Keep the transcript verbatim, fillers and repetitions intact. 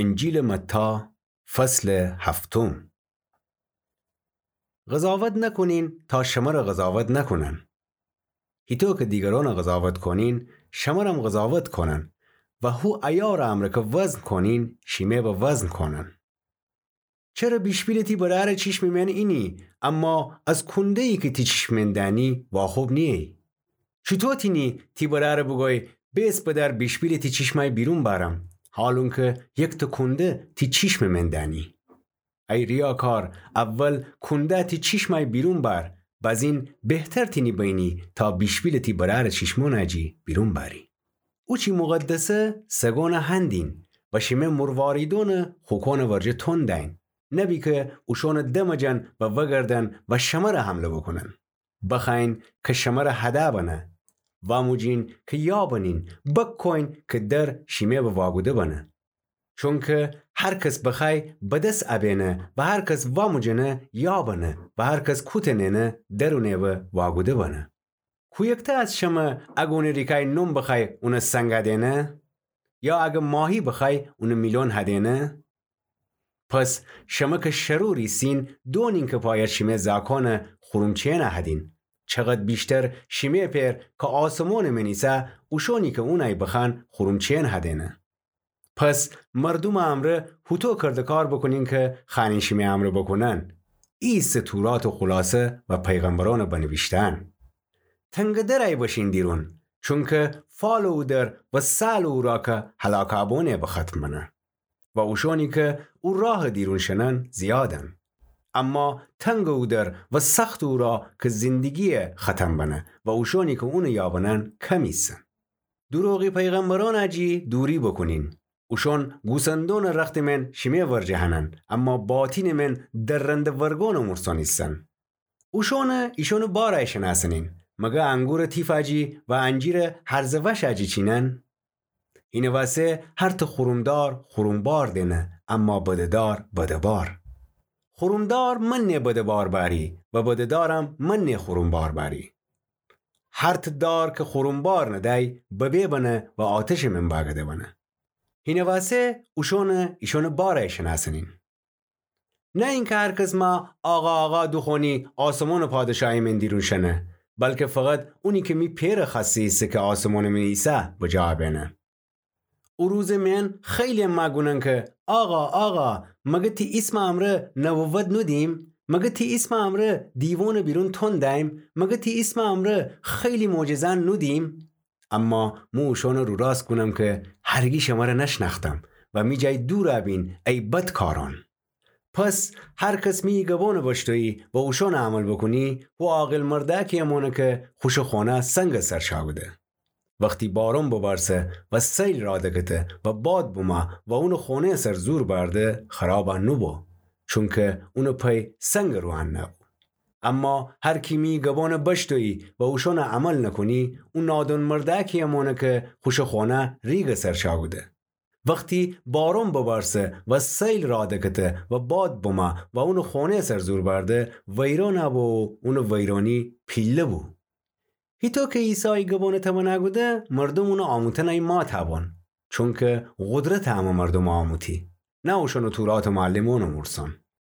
انجیلٚ متی، فصلٚ هفتم. قضاوت نکونین تا شمر قضاوت نکونن. هیطو کی دیگرونٚ قضاوت کونین، شمرم قضاوت کونن و هو عیارٚ امرأ کی وزن کونین، شیمه به وزن کونن. چره بیشپیلٚ تی برأرٚ چیشمٚ مأن اینی، اما از کونده ای کی تی چیشمٚ مأن دأنی واخوب نییی؟ چوطو تینی تی برأرٚ بوگویی، بیس بدأر بیشپیلٚ تی چیشمأی بیرون بأرم، حالونکی یکتأ کونده تی چیشمٚ مأن دأنی؟ ای ریاکار، اول کونده تی چیشمأی بیرون بأر، بزین بهتر تینی بینی تا بیشپیلٚ تی برأرٚ چیشمونٚ جی بیرون بأری. اوچی مقدسه سگونٚ هندین و شیمه مرواریدونٚ خوکونٚ ورجه تون دأین، نبی کی اوشونٚ دم جن و وگردن و شمر حمله بوکونن. بخوأیین کی شمر هده بنه، واموجین کی یا بنین، بکویین کی در شیمه به واگوده بنه. چونکی هر کس بخوأی بدس ابینه و هر کس واموجنه یا بنه و هر کس کوته نئنه در اونٚ به واگوده بنه. کویکته از شمه اگه اونٚ ریکأی نون بخوأی اون سنگ هدینه؟ یا اگه ماهی بخوأی اون میلون هدینه؟ پس شمه کی شرور ایسین، دونین کی پاید شیمه زاکونٚ خورومچی‌یأن هدین، چقد بیشتر شیمه پئر کی آسمونٚ مئن ایسه اوشونی کی اونأی بخوأن خورومچی‌یأن هدینه. پس مردومٚ امرأ هوطو کردکار بوکونین کی خوأنین شیمه امرأ بوکونن. ای ایسه توراتٚ خلاصه و پیغمبرونٚ بنیویشتن. تنگٚ درأی بشین دیرون، چونکی فالٚ او در و سالٚ او راه کی هلاکأ بونه به ختم بنه و اوشونی کی او راهٚ دیرون شنن زیادن. اما تنگٚ او در و سختٚ او راه کی زندگی ختم بنه و اوشونی کی اونٚ یابنن کم ایسن. دوروغی پیغمبرونٚ جی دوری بوکونین. اوشون گوسندونٚ رختٚ مئن شیمه ورجه هنن، اما باطینٚ مئن درنده ورگونٚ مورسون ایسن. اوشونٚ ایشونٚ بارأی شنأسنین. مگه انگورٚ تیفأ جی و انجیرٚ هرزٚ وشأ جی چینن؟ هینٚ وأسه هرتأ خورومدار خورومبار دئنه، اما بده‌دار بده‌بار. خورومدار منه بده‌بار بأری و بده‌دارم منه خورومبار بأری. هرتأ دار کی خورومبار ندأی، ببه بنه و آتشٚ مئن بأگده بنه. هینٚ وأسه اوشونٚ ایشونٚ بارأی شنأسنین. نه اینکی هر کس مه آقا، آقا دوخوأنی آسمونٚ پادشاهی مئن دیرون شنه، بلکی فقط اونی کی می پئرٚ خوأسته ایسه کی آسمونٚ مئن ایسه بجا بئنه. او روزٚ مئن خیلی مه گونن کی، آقا، آقا، مگه تی ایسمٚ امرأ نبوت نودیم؟ مگه تی ایسمٚ امرأ دیوونٚ بیرون تون دأیم؟ مگه تی ایسمٚ امرأ خیلی معجزه‌یأن نودیم؟ اما مو اوشونٚ روراست گونم کی هرگی شمره نشنأختم و می جای دورأ بین ای بدکارون. پس هر کس می گبونٚ بشتویی و اوشونٚ عمل بوکونی، هو عاقل مردأکی مانه کی خوشٚ خونه سنگٚ سر چأکوده. وختی بارون ببارسه و سیل راه دکته و باد بمه و اونٚ خونه‌یٚ سر زور بأرده، خرابأ نوبو، چونکی اونٚ پی سنگٚ روأن نبو. اما هر کی می گبونٚ بشتویی و اوشونٚ عمل نکونی، او نادون مردأکی مانه کی خوشٚ خونه ریگٚ سر چأکوده. وختی بارون ببارسه و سیل راه دکته و باد بمه و اونٚ خونه‌یٚ سر زور بأرده، ویرون بو و اونٚ ویرونی پیله بو. هیطو کی عیسی ای گبونٚ تمنأ کوده، مردوم اونٚ آموتنأی ماتأ بون، چونکی قدرتٚ امه مردومٚ آموتی، نه اوشونٚ توراتٚ معلمونٚ مورسون.